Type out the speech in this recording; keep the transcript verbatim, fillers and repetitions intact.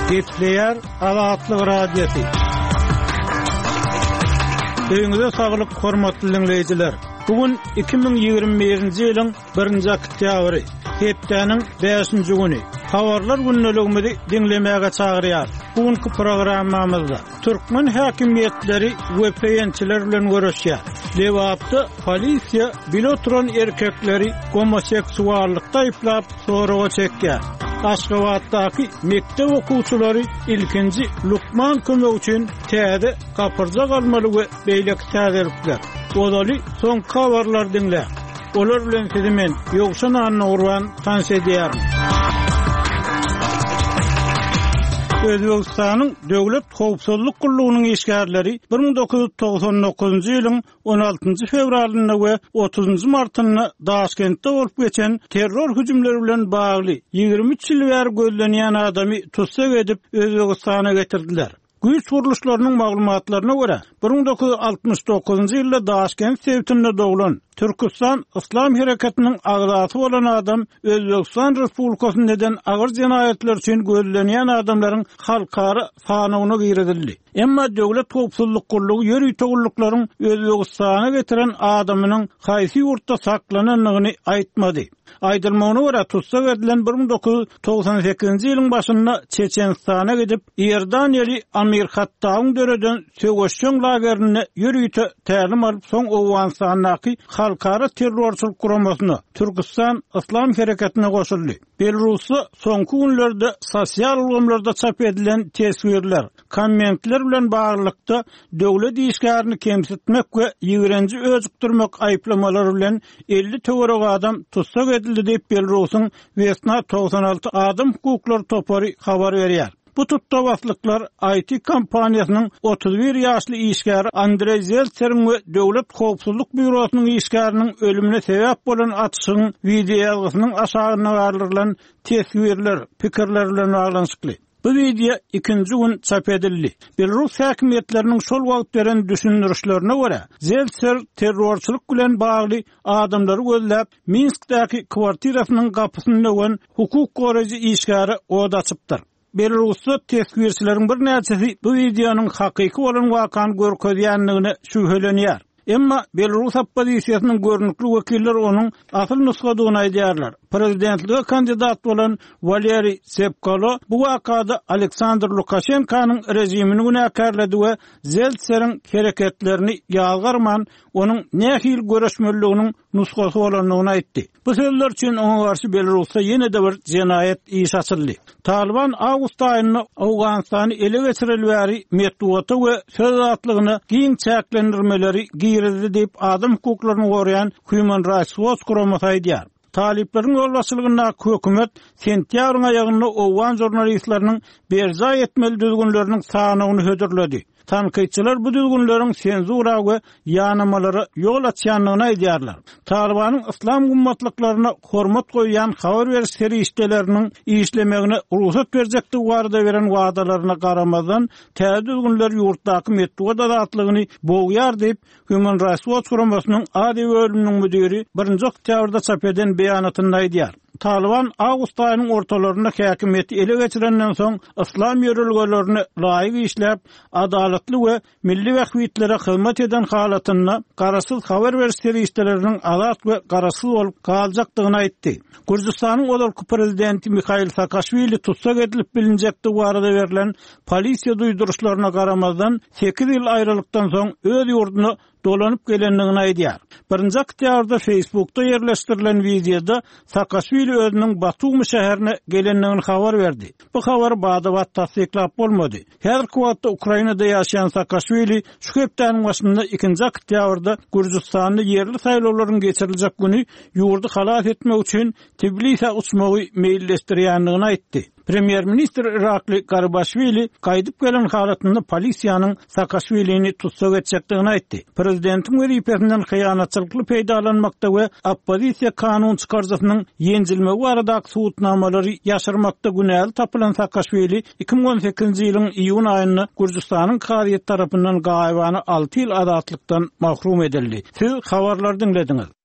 Gepleýär Azatlyk Radiosy. Öýüňize saglyk hormatly dinleýjiler. Bugün iki müň ýigrimi birinji ýylyň birinji oktýabry, hepdäniň bäşinji güni. Habarlar gündeligimizi dinlemäge çagyrýar. Bugünkü programmamyzda Türkmen hakimiýetleri we peýençiler bilen görüşýär. Lebapda polisiýa bile oturan erkekleri homoseksuallykda aýyplap soraga çekýär. Aşgabatdaky mekdep okuwçylary ilkinji lukman kömek üçin täze gapyrjak almaly we beýleki täzelikler. Ozaly soňky habarlar diňle. Olar bilen sizi men Ýowşan Annagurban tanyş edýärim. Özbekistanyň Döwlet Howpsuzlyk Gullugynyň işgärleri bir müň dokuz ýüz togsan dokuzunjy ýylyň on altynjy fewralynda we otuzunjy martynda Daşkentde bolup geçen terror hüjümleri bilen bagly ýigrimi üç ýyl bäri gözlenýän adamy tussag edip Özbekistana getirdiler. Güýç gurluşlarynyň maglumatlaryna görä, bir müň dokuz ýüz altmyş dokuzunjy ýylda Daşkent sebitinde doglan Türkistan Islam Hereketiniň agzasy bolan adam Özbekistan Respublikasynda eden agyr jenaýatlar üçin gözlenýän adamlaryň halkara sanawyna girizildi. Emma Döwlet Howpsuzlyk Gullugy ýörite gulluklaryň Özbekistana getiren adamynyň haýsy ýurtda saklanandygyny aýtmady. Aýdylmagyna görä, tussag edilen bir müň dokuz ýüz togsan sekizinji ýylyň başynda Çeçenistana gidip, Iordaniýaly Amir Hattawyň döreden söweşjeň lagerinde ýörite tälim alyp, soň Owganystandaky halkara terrorçylyk guramasyna Türkistan Islam Hereketine goşuldy. Belarusda soňky günlerde sosial ulgamlarda çap edilen teswirler, kommentler bilen baglylykda döwlet işgärini kemsitmek we ýigrenji öjükdirmek aýyplamalary bilen elli töwerek adam tussag edildi diýip Belarusyň Vesna togsan alty adam hukuklary topary habar berýär. Bu tutdabaslyklar I T kompaniýasynyň otuz bir ýaşly işgäri Andrey Zeltseriň we Döwlet Howpsuzlyk Býurosynyň işgäriniň ölümine sebäp bolan atyşyň wideo ýazgysynyň aşagynda galdyrylan teswirler, pikirler bilen baglanyşykly. Bu wideo ikinji gün çap edildi. Belarus hakimiýetleriniň şol wagt beren düşündirişlerine görä, Zeltser terrorçylyk bilen bagly adamlary gözläp, Minskdäki kwartirasynyň gapysyny döwen hukuk goraýjy işgäri od açypdyr. Belarusda teswirçileriň birnäçesi bu wideonyň hakyky bolan wakany görkezýändigine şübhelenýär. Emma Belarus oppozisiýasynyň görnükli wekilleri onuň asyl nusgadygyny aýdýarlar. Prezidentlige kandidat bolan Waleriý Sepkalo bu wakada Aleksandr Lukaşenkanyň rejimini günäkärledi we Zeltseriň hereketlerini ýazgarman, onuň nähili görüşmeliliginiň nusgasy bolandygyny aýtdy. Bu sözler üçin oňa garşy Belarusda ýene-de bir jenaýat iş açyldy. Taliban awgust aýynda Owganystany ele geçireli bäri metbugata we söz azatlygyna giň çäklendirmeleri girizdi diýip adam hukuklaryny goraýan Human Rights Watch guramasy aýdýar. Talipleriň ýolbaşçylygyndaky hökümet sentýabryň aýagynda owgan žurnalistleriniň berjaý etmeli düzgünleriniň sanawyny hödürledi. Tankytçylar bu düzgünleriň senzura we ýanamalara ýol açýandygyny aýdýarlar. Talibanyň islam gymmatlyklaryna hormat goýýan habar beriş serişdeleriniň işlemegine rugsat berjekdigi barada beren wadalaryna garamazdan, täze düzgünler ýurtdaky metbugat azatlygyny bogýar diýip, Human Rights Watch guramasynyň Aziýa bölüminiň müdiri birinji oktýabrda çap eden beýanatynda aýdýar. Taliban awgust aýynyň ortalarynda häkimiýeti ele geçirenden soň islam ýörelgelerini laýyk işläp, adalatly we milli bähbitlere hyzmat eden halatynda garaşsyz habar beriş serişdeleriniň azat we garaşsyz bolup galjakdygyny aýtdy. Gürjüstanyň ozalky prezidenti Mihail Saakaşwili tussag edilip bilinjekdigi barada berlen polisiýa duýduryşlaryna garamazdan sekiz ýyl aýralykdan soň öz ýurduna dolanyp gelendigini aýdýar. Birinji oktýabrda Facebookda ýerleşdirilen wideoda Saakaşwili özüniň Batumi şäherine gelendigini habar berdi. Bu habary bada-bat tassyklap bolmady. Häzirki wagtda Ukrainada ýaşaýan Saakaşwili şu hepdäniň başynda ikinji oktýabrda Gürjüstanda ýerli saýlawlaryň geçiriljek güni ýurdy halas etmek üçin Tbilisä uçmagy meýilleşdirýändigini aýtdy. Premýer-ministr Irakli Garbaşwili gaýdyp gelen halatynda polisiýanyň Saakaşwilini tussag etjekdigini aýtdy. Prezidentiň wezipesinden hyýanatçylykly peýdalanmakda we oppozisiýa kanun çykaryjysynyň ýenjilmegi baradaky subutnamalary ýaşyrmakda günäli tapylan Saakaşwili iki müň on sekizinji ýylyň iýun aýynda Gürjüstanyň kazyýet tarapyndan gaýybana alty ýyl azatlykdan mahrum edildi. Siz habarlary diňlediňiz.